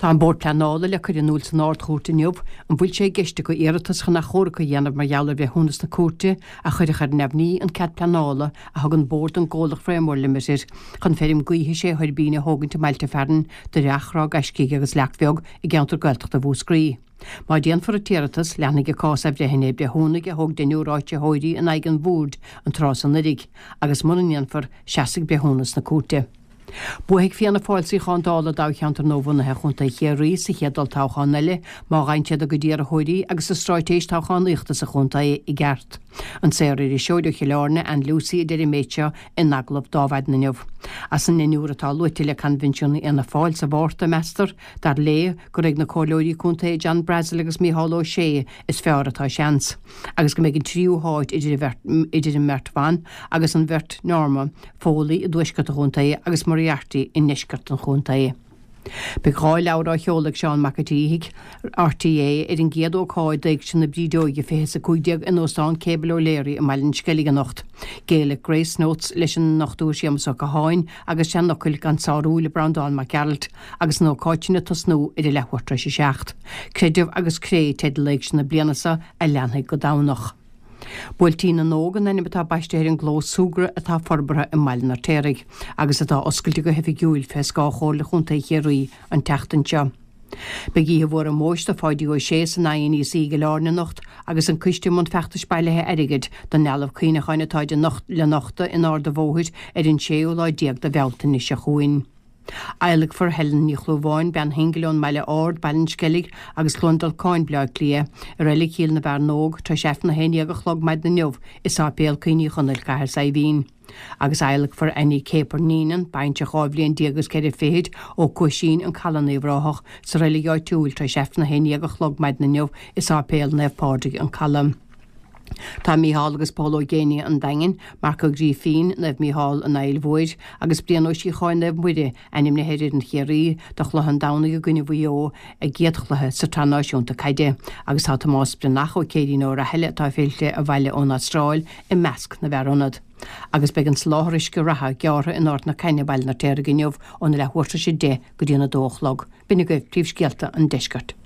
Tá an Bord Pleanála le cur in iúl san Ard-Chúirt inniu an bhfuil sé i gceist acu iarratas chun achomharc a dhéanamh mar gheall ar bhreithiúnas na cúirte a chuirfeadh ar neamhní an cead pleanála a thug an Bord don gcomhlacht Framework Limited chun feirm gaoithe sé thuirbín a thógaint i mbailte fearainn Doire Each, Ráth Gaiscígh agus Leac Bheag i gceantar Gaeltachta Mhúscraí. Má déanfar an t-iarratas, leanfaidh an cás athbhreithnithe breithiúnaigh a thóg deichniúr áitritheoirí in aghaidh an Bhoird an tráth san anuraidh, agus mura ndéanfar, seasfaidh breithiúnas na cúirte. Buafaidh Fianna Fáil suíochán Dála i dtoghcheantar nuabhunaithe Chontae Chiarraí sa chéad olltoghchán eile má fhaigheann siad a gcuid iarrthóirí agus a stráitéis toghchánaíochta sa chontae i gceart. An saor-iriseoir ó Chill Airne, Ann Lucey a deir an méid seo in agallamh d'Adhmhaidin inniu. As an ndeichniúr atá luaite le Coinbhinsiún Fhianna Fáil sa Mhárta, meastar, dar léi, gur ag na comhairleoirí contae John Brassil agus Micheál Ó Sé is fearr atá seans, agus go mbeidh an tríú háit idir an mbeirt bhan agus an bheirt Norma Foley i dtuaisceart an chontae agus Moriarty i ndeisceart an chontae. Beidh 2 leabhar á sheoladh ag Seán Mac an tSíthigh, RTÉ, ar an gcéad ócáid d'Éigse na Brídeoige 2015 in Óstán Cable O'Leary i mBaile an Sceilg anocht. Gaelic Grace Notes leis an Dr Séamus Ó Catháin agus Seanfhocail gan Sárú le Breandán Mac Gearailt agus an ócáid sin ag tosnú ar a leathuair tar éis a 7. Creideamh agus Cré teideal Éigse na bliana seo a leanfaidh go Domhnach. Buailtín na nÓg an ainm atá baiste ar an gclós súgartha atá forbartha i mBaile an Fheirtéaraigh agus atá oscailte go hoifigiúil fé scáth Chomhairle Chontae Chiarraí an tseachtain seo. Beidh oíche mhór ómóis do Pháidí Ó Sé san INEC i gCill Airne anocht agus an coiste i mbun feachtais bailithe airgid don dealbh cuimhneacháin atá le nochtadh in Ard a' Bhóthair ar an séú lá déag de Bhealtaine seo chugainn. Adhlacfar Helen Ní Chlúmháin, bean shingil ón mBaile Ard, Baile an Sceilg agus Cluain Dolcáin, Bleá Cliath, i Reilig Chill na bhFear nÓg, tar éis Aifreann 11 a chlog maidin inniu i Sáipéal Cuimhní Chonaill, Cathair Saidhbhín. Agus adhlacfar Annie Caper Neenan, baintreach 12 bhliain agus ceithre fichid, ó Cuaisín, An Caladh in Uíbh Ráthach, sa reilig áitiúil tar éis Aifreann 11 a chlog maidin inniu i Sáipéal Naomh Pádraig, An Caladh. Tá Mícheál agus Pól Ó Géibheannaigh an Daingin, Marc Ó Grífín, Naomh Mícheál, an Fhaill Mhóir, agus Brian Ó Síocháin, Naomh Muire, ainmnithe ar fhoireann Chiarraí do chluiche an Domhnaigh i gcoinne Mhaigh Eo, a gcéad chluiche sa tSraith Náisiúnta Caide, agus tá Tomás Breathnach Ó Céirín Ó Rathaille atá fillte abhaile ón Astráil i measc na bhfear ionad. Agus beidh an soláthar uisce reatha gearrtha in Ard na Caithne, Baile an Fheirtéaraigh inniu óna leathuair tar éis 10 go dtí an 2 a chlog. B'in agaibh príomhscéalta an deiscirt.